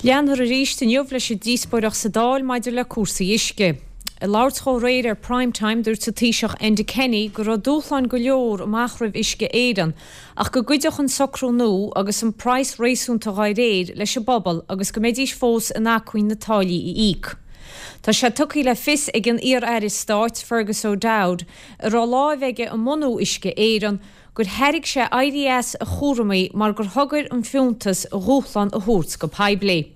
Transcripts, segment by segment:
Leanfar arís inniu leis an díospóireacht sa Dáil maidir le cúrsaí uisce. Ag labhairt dhó aréir ar Prime Time dúirt an Taoiseach Enda Kenny go raibh dúshláin go leor amach roimh Uisce Éireann ach go gcuideodh an socrú nua agus an praghas réasúnta dhá réir leis an bpobal agus go mbeidís fós in acmhainn na táillí a íoc. Tá sé tugtha le fios ag an iar-aire stáit Fergus O'Dowd, a raibh láimh aige i mbunú Uisce Éireann, gur thairg sé éirí as a chúramaí mar gur thogair an fiúntas a dhúshlán a thabhairt go poiblí.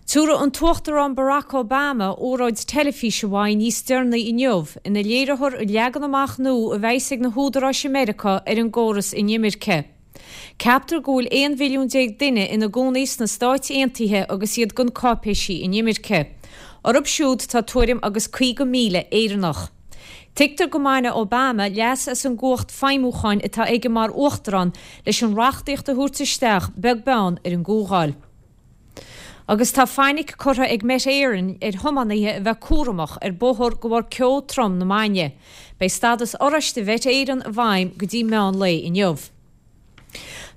Tabharfaidh an tUachtarán Barack Obama óráid teilifíse uaidh níos deireanaí inniu ina léireofar an leagan amach nua a bheas ag na húdaráis i Meiriceá ar an gcóras inimirce. Ceaptar go bhfuil 11 mhilliún duine ina gcónaí sna Stáit Aontaithe agus iad gan cáipéisí inimirce. Orthu siúd tá tuairim agus 50,000 Éireannach. Tuigtear go mbainfidh Obama leas as an gcumhacht feidhmiúcháin atá aige mar uachtarán leis an reachtaíocht a thabhairt isteach beag beann ar an gcomhdháil. Agus tá fainic curtha ag Met Éireann ar thiománaithe a bheith cúramach ar bóthar de bharr ceo trom na maidne. Beidh stádas oráiste Mhet Éireann i bhfeidhm go dtí meán lae inniu.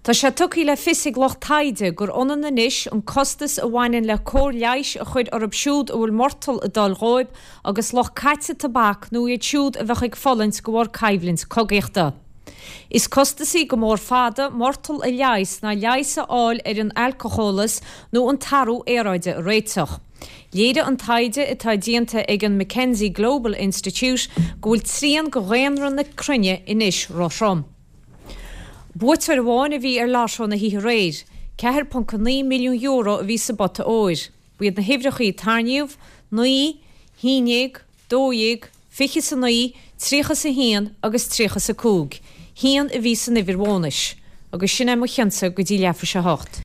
Tá sé tugtha le fios ag lucht taighde gur ionann anois an costas a bhaineann le cóir leighis a chur orthu siúd a bhfuil murtall ag dul dhóibh agus lucht caite tobac nó iad siúd a bheadh ag fulaingt de bharr coimhlint cogaíochta. Is costasaí go mór fada murtall a leigheas ná leigheas a fháil ar an alcólachas nó an t-athrú aeráide a réiteach. Léirigh an taighde atá déanta ag an McKenzie Global Institute go bhfuil trian de dhaonra na cruinne anois róthrom. Buaiteoir amháin a bhí ar Lotto na hoíche aréir. €4.9 milliún a bhí sa bpota óir. Ba iad na huimhreacha a tarraingíodh, 9, 11, 12, 29, 31 agus 35. Haon a bhí san uimhir bhónais. Agus sin é mo chionsa go dtí leathuair tar éis a hocht.